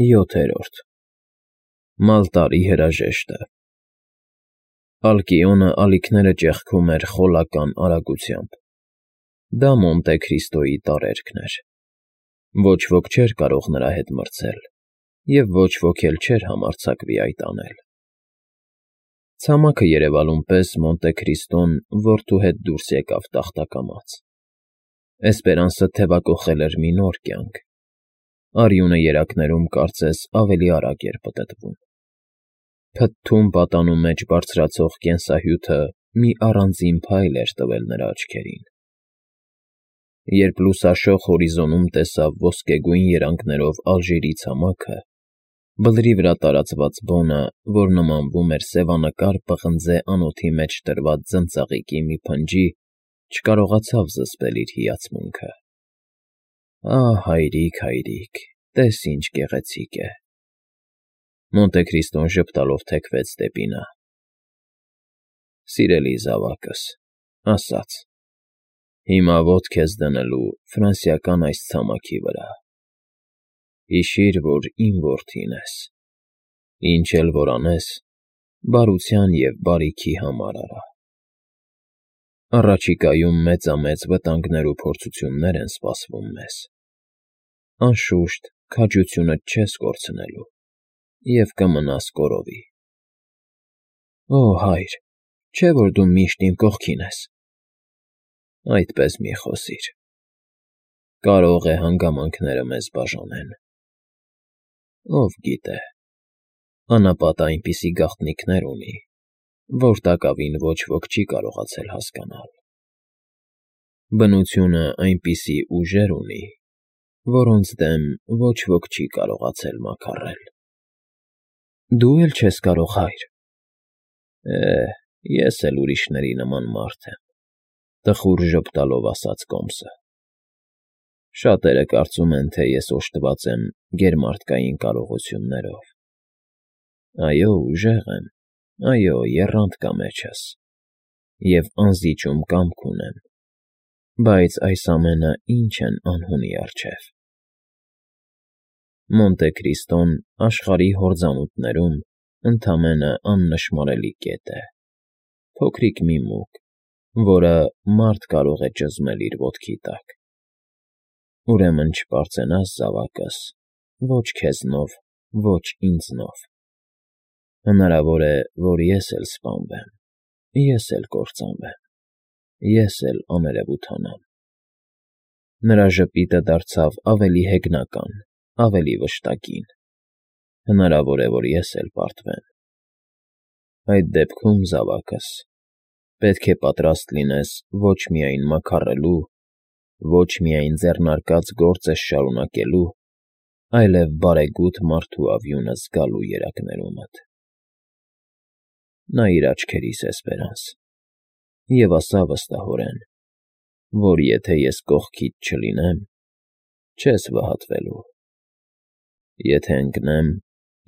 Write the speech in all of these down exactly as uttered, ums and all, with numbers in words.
ՅՈԹԵՐՈՐԴ ՄԱԼՏԱՐԻ ՀՐԱԺԵՇՏԸ Ալկիոնը ալիքները ճեղքում էր խոլական արագությամբ. դա Մոնտե Քրիստոյի տարերքն էր. ոչ ոք չէր կարող նրա հետ մրցել և ոչ ոք էլ չէր համարձակվի այդ անել։ Ցամաքը երևալուն պես Մոնտե Քրիստոն որդու հետ դուրս եկավ տախտակամած։ Էսպերանսը թևակոխել էր մի նոր կյանք։ Արյունը երակներում կարծես ավելի արագ էր պտտվում։ Փթթուն պատանու մեջ բարձրացող կենսահյութը մի առանձին փայլ էր տվել նրա աչքերին։ Երբ լուսաշող հորիզոնում տեսավ ոսկեգույն երանգներով Ալժիրի ցամաքը, բլրի վրա տարածված բոնը, որ նմանվում էր սևանկար պղնձե անոթի մեջ դրված ձնծաղիկի մի փնջի, չկարողացավ զսպել իր հիացմունքը։ Ահ, հայրիկ, հայրիկ, տես ինչ գեղեցիկ է։ Մոնտե Քրիստոն ժպտալով թեքվեց դեպի նա։ Սիրելի զավակս, ասաց. հիմա ոտք ես դնելու ֆրանսիական այս ցամաքի վրա։ Հիշիր, որ իմ որդին ես։ Ինչ էլ որ անես, բարության և բարիքի համար արա։ Առաջիկայում մեծամեծ վտանգներ ու փորձություններ են սպասվում մեզ։ Անշուշտ, քաջությունդ չես կորցնելու և կմնաս կորովի։ Օ, հայր, չէ՞ որ դու միշտ իմ կողքին ես։ Այդպես մի խոսիր։ Կարող է հանգամանքները մեզ բաժանեն։ Ով գիտե, անապատը այնպիսի գաղտնիքներ ունի, որ տակավին ոչ ոք չի կարողացել հասկանալ։ Բնությունը այնպիսի ուժեր ունի, որոնց դեմ ոչ ոք չի կարողացել մաքարել։ Դու էլ չես կարող, հայր։ Է, ես էլ ուրիշների նման մարդ եմ,֊ տխուր ժպտալով ասաց կոմսը։ Շատերը կարծում են, թե ես օժտված եմ գերմարդկային կարողություններով։ Այո, ուժեղ եմ, այո, եռանդ կա մեջս, և անզիջում կամք ունեմ, բայց այս ամենը ի՞նչ են անհունի առջև։ Մոնտե Քրիստոն աշխարհի հորձանուտներում ընդամենը աննշմարելի կետ է, փոքրիկ մի մուկ, որը մարդ կարող է ճզմել իր ոտքի տակ։ Ուրեմն չպարծենաս, զավակս, ոչ քեզնով, ոչ ինձնով։ Հնարավոր է, որ ես էլ սպանվեմ, ես էլ կործանվեմ, ես էլ աներևութանամ։ Նրա ժպիտը դարձավ ավելի հեգնական, ավելի վշտակին։ Հնարավոր է, որ ես էլ պարտվեմ։ Այդ դեպքում, զավակս, պետք է պատրաստ լինես ոչ միայն մաքարելու, ոչ միայն ձեռնարկած գործս շարունակելու, այլև բարեգութ մարդու ավյունը զգալու երակներումդ։ Նայիր աչքերիս, Էսպերանս, և ասա վստահորեն, որ եթե ես կողքիդ չլինեմ, չես վհատվելու։ Եթե ընկնեմ,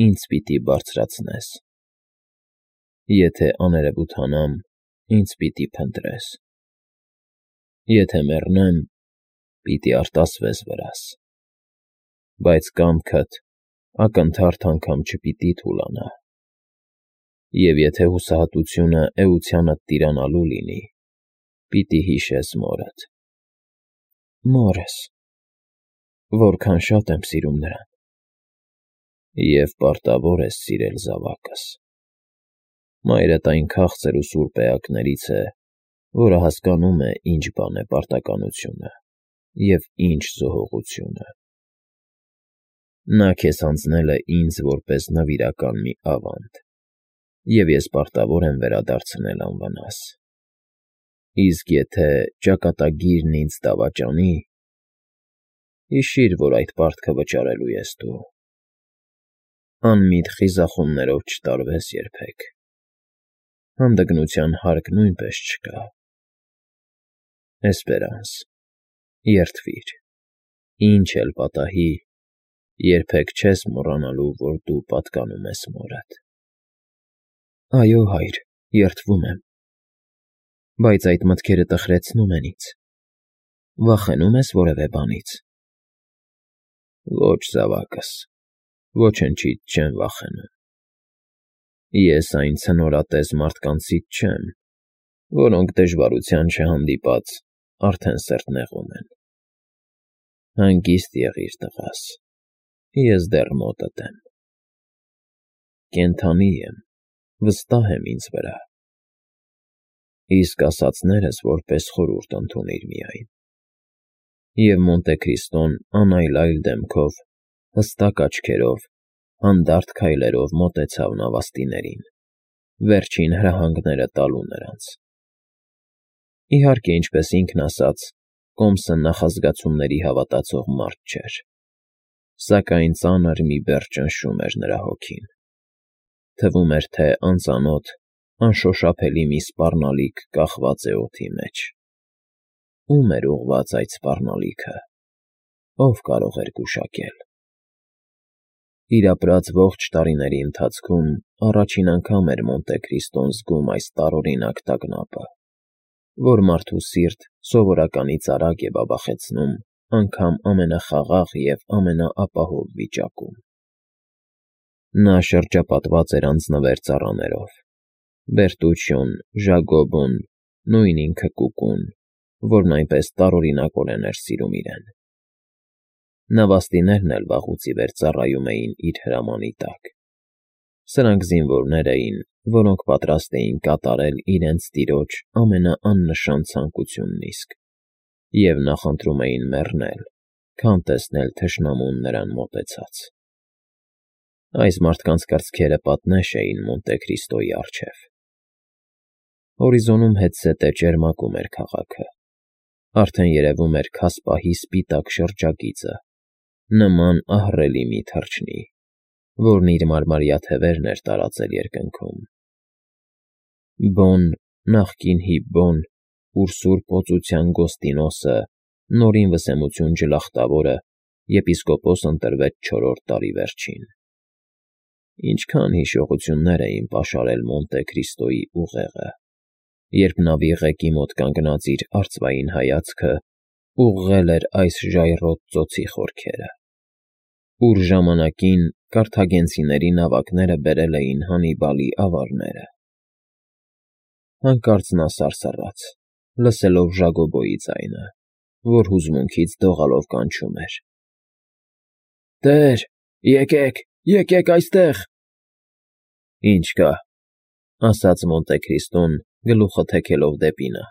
ինձ պիտի բարձրացնես։ Եթե աներևութանամ, ինձ պիտի փնտրես։ Եթե մեռնեմ, պիտի արտասվես վրաս։ Բայց կամքդ ակնթարթ անգամ չպիտի թուլանա։ Եվ եթե հուսահատությունը էությանդ տիրանալու լինի, պիտի հիշես մորդ։ Մորս, որքան շատ եմ սիրում նրան։ Եվ պարտավոր ես սիրել, զավակս։ Մայրդ այն քաղցր ու սուրբ էակներից է, որը հասկանում է ինչ բան է պարտականությունը և ինչ զոհողությունը։ Նա քեզ հանձնել է ինձ որպես նվիրական մի ավանդ, և ես պարտավոր եմ վերադարձնել անվնաս։ Իսկ եթե ճակատագիրն ինձ դավաճանի, հիշիր, որ այդ պարտքը վճարելու ես դու։ Անմիտ խիզախումներով չտարվես երբեք։ Հանդգնության հարկ նույնպես չկա։ Էսպերանս, երդվիր, ինչ էլ պատահի, երբեք չես մոռանալու, որ դու պատկանում ես մորդ։ Այո, հայր, երդվում եմ։ Բայց այդ մտքերը տխրեցնում են ինձ։ Վախենո՞ւմ ես որևէ բանից։ Ոչ, զավակս, ոչնչից չեմ վախենում։ Ես այն ցնորատես մարդկանցից չեմ, որոնք դժվարության չհանդիպած արդեն սրտնեղում են։ Հանգիստ եղիր, տղաս, ես դեռ մոտդ եմ։ Կենդանի եմ, վստահ եմ ինձ վրա։ Իսկ ասածներս որպես խորհուրդ ընդունիր միայն։ Եվ Մոնտեքրիստոն անայլայլ դեմքով, հստակ աչքերով, հանդարտ քայլերով մոտեցավ նավաստիներին, վերջին հրահանգները տալու նրանց։ Իհարկե, ինչպես ինքն ասաց, Կոմսը նախազգացումների հավատացող մարդ չէր, սակայն ծանր մի բեռ ճնշում էր նրա հոգին։ Թվում էր, թե անծանոթ, անշոշափելի մի սպառնալիք կախված է օդի մեջ։ Ո՞ւմ էր ուղղված այդ սպառնալիքը, ով կարող էր գուշակել։ Իր ապրած ողջ տարիների ընթացքում առաջին անգամ էր Մոնտեքրիստոն զգում այս տարօրինակ տագնապը, որ մարդու սիրտ սովորականից արագ է բաբախեցնում անգամ ամենախաղաղ և ամենաապահով վիճակում։ Նա շրջապատված էր անձնվեր ծառաներով՝ Բերտուչչոն, Ժակոբոն, նույն ինքը Կուկուն, որն այնպես տարօրինակորեն էր սիրում իրեն։ Նավաստիներն էլ վաղուց ի վեր ծառայում էին իր հրամանի տակ։ Սրանք զինվորներ էին, որոնք պատրաստ էին կատարել իրենց տիրոջ ամենաաննշան ցանկությունն իսկ, և նախընտրում էին մեռնել, քան տեսնել թշնամուն նրան մոտեցած։ Այս մարդկանց կրծքերը պատնեշ էին Մոնտեքրիստոյի առջև։ Հորիզոնում հետզհետե ճերմակում էր քաղաքը, արդեն երևում էր քասպահի սպիտակ շրջագիծը, նման ահռելի մի թռչնի, որն իր մարմարյա թևերն էր տարածել երկնքում։ Բոն, նախկին Հիբբոն, ուր սուրբ օծության Գոստինոսը, Նորին Վսեմություն Ջլախտավորը եպիսկոպոս ընտրվեց չորրորդ տարի վերջին։ Ինչքան հիշողություններ էին պաշարել Մոնտեքրիստոյի ուղեղը, երբ նավի ղեկի մոտ կանգնած իր արծվային հայացքը ուղղել էր այս ժայռոտ ծոցի խորքերը, ուր ժամանակին կարթագենցիների նավակները բերել էին Հանիբալի ավարները։ Հանկարծ նա սարսռաց, լսելով Ժակոբոյի ձայնը, որ հուզմունքից դողալով կանչում էր. «Տեր, եկեք, եկեք այստեղ»։ «Ինչ կա», ասաց Մոնտեքրիստոն, գլուխը թեքելով դեպի նա,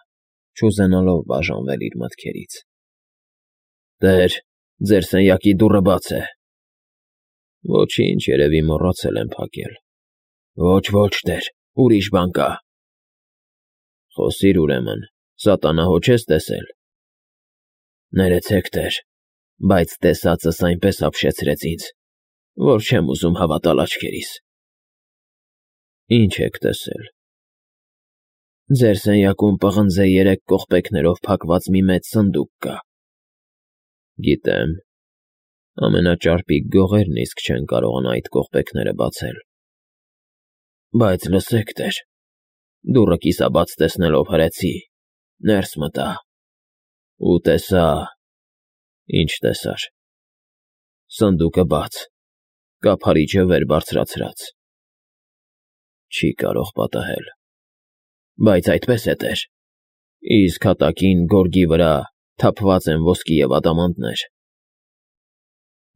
չուզենալով բաժանվել իր մտքերից։ «Տեր, ձեր սենյակի դուռը բաց է»։ «Ոչինչ, երևի մոռացել են փակել»։ «Ոչ, ոչ, տեր, ուրիշ բան կա»։ «Խոսիր ուրեմն, սատանահո չես տեսել»։ «Ներեցեք, տեր, բայց տեսածս այնպես ապշեցրեց ինձ, որ չեմ ուզում հավատալ աչքերիս»։ «Ինչ եք տեսել»։ «Ձեր սենյակում պղնձե երեք կողպեքներով փակված մի մեծ սնդուկ կա»։ «Գիտեմ, ամենաճարպիկ գողերն իսկ չեն կարողանա այդ կողպեքները բացել»։ «Բայց լսեք, տեր, դուռը կիսաբաց տեսնելով հրեցի, ներս մտա ու տեսա»։ «Ինչ տեսար»։ «Սնդուկը բաց, կափարիչը վեր բարձրացրած»։ «Չի կարող պատահել»։ «Բայց այդպես է, տեր, իսկ հատակին, գորգի վրա թափված են ոսկի և ադամանդներ»։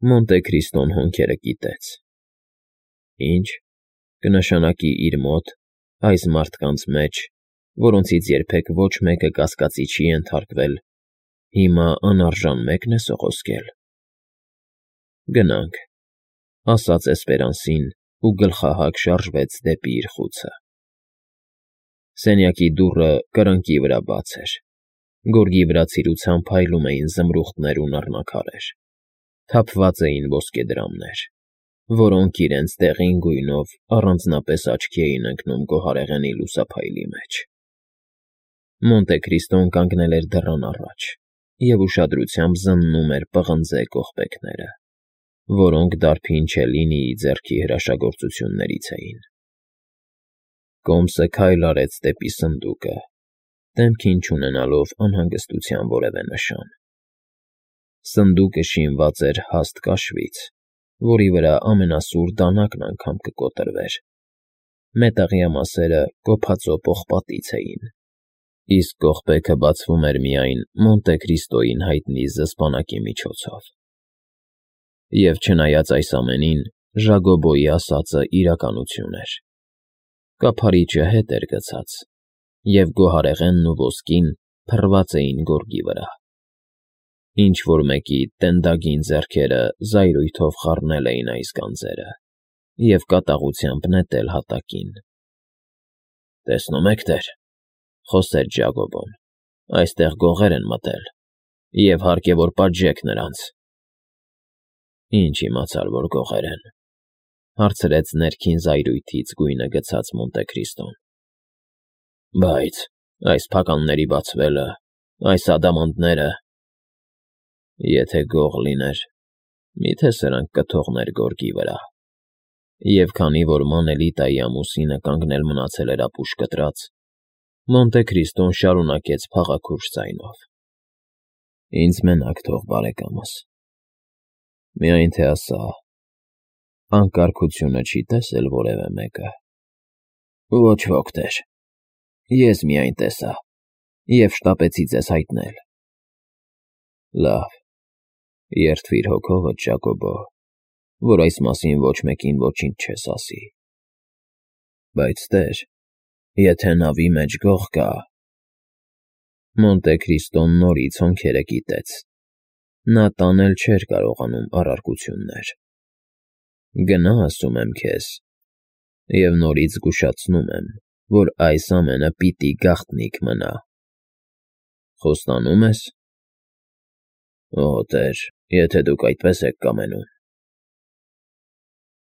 Մոնտեքրիստոն հոնքերը կիտեց։ Ինչ կնշանակի իր մոտ, այս մարդկանց մեջ, որոնցից երբեք ոչ մեկը կասկածի չի ենթարկվել, հիմա անարժան մեկն է սողոսկել։ «Գնանք», ասաց Էսպերանսին ու գլխահակ շարժվեց դեպի իր խուցը։ Սենյակի դուռը կրկնակի վրա բաց էր։ Գորգի վրա ցիրուցան փայլում էին զմրուխտներ ու նռնակարեր, թափված էին ոսկեդրամներ, որոնք իրենց դեղին գույնով առանձնապես աչքի էին ընկնում գոհարեղենի լուսափայլի մեջ։ Մոնտեքրիստոն կանգնել էր դռան առաջ և ուշադրությամբ զննում էր պղնձե կողպեքները, որոնք դարբին Չելլինիի ձեռքի հրաշագործություններից էին։ Կոմսը քայլ արեց դեպի սնդուկը, դեմքին չունենալով անհանգստության որևէ նշան։ Սնդուկը շինված էր հաստ կաշվից, որի վրա ամենասուր դանակն անգամ կկոտրվեր. մետաղյա մասերը կոփածո պողպատից էին, իսկ կողպեքը բացվում էր միայն Մոնտե Քրիստոյին հայտնի զսպանակի միջոցով։ Եվ չնայած այս ամենին, Ժագոբոյի ասածը իրականություն էր. կափարիչը հետ էր գցած, և գոհարեղենն ու ոսկին փռված էին գորգի վրա։ Ինչ-որ մեկի տենդագին ձեռքերը զայրույթով խառնել էին այս գանձերը և կատաղությամբ նետել հատակին։ «Տեսնում եք, տեր,֊ խոսեց Ժագոբոն,֊ այստեղ գողեր են մտել, և հարկ է, որ պատժեք նրանց»։ «Ինչ իմացար, որ գողեր են,֊ հարցրեց ներքին զայրույթից գույնը գցած Մոնտե Քրիստոն։֊ Բայց այս փականների բացվելը, այս ադամանդները… Եթե գող լիներ, մի՞թե սրանք կթողներ գորգի վրա»։ Եվ քանի որ Մանելիտայի ամուսինը կանգնել մնացել էր ապուշ կտրած, Մոնտե Քրիստոն շարունակեց փաղաքուր ձայնով. «Ինձ մենակ թող, բարեկամս, միայն թե ասա, անկարգությունը չի՞ տեսել որևէ մեկը»։ «Ոչ ոք, տեր, ես միայն տեսա և շտապեցի ձեզ հայտնել»։ «Լավ, երդվիր հոգովդ, Ժակոբո, որ այս մասին ոչ մեկին ոչինչ չես ասի։ Բայց, տեր, եթե նավի մեջ գող կա…» Մոնտե Քրիստոն նորից հոնքերը կիտեց. նա տանել չէր կարողանում առարկություններ։ «Գնա, ասում եմ քեզ, և նորից զգուշացնում եմ, որ այս ամենը պիտի գաղտնիք մնա»։ «Խոստանո՞ւմ ես»։ «Օ, տեր, եթե դուք այդպես եք կամենում»։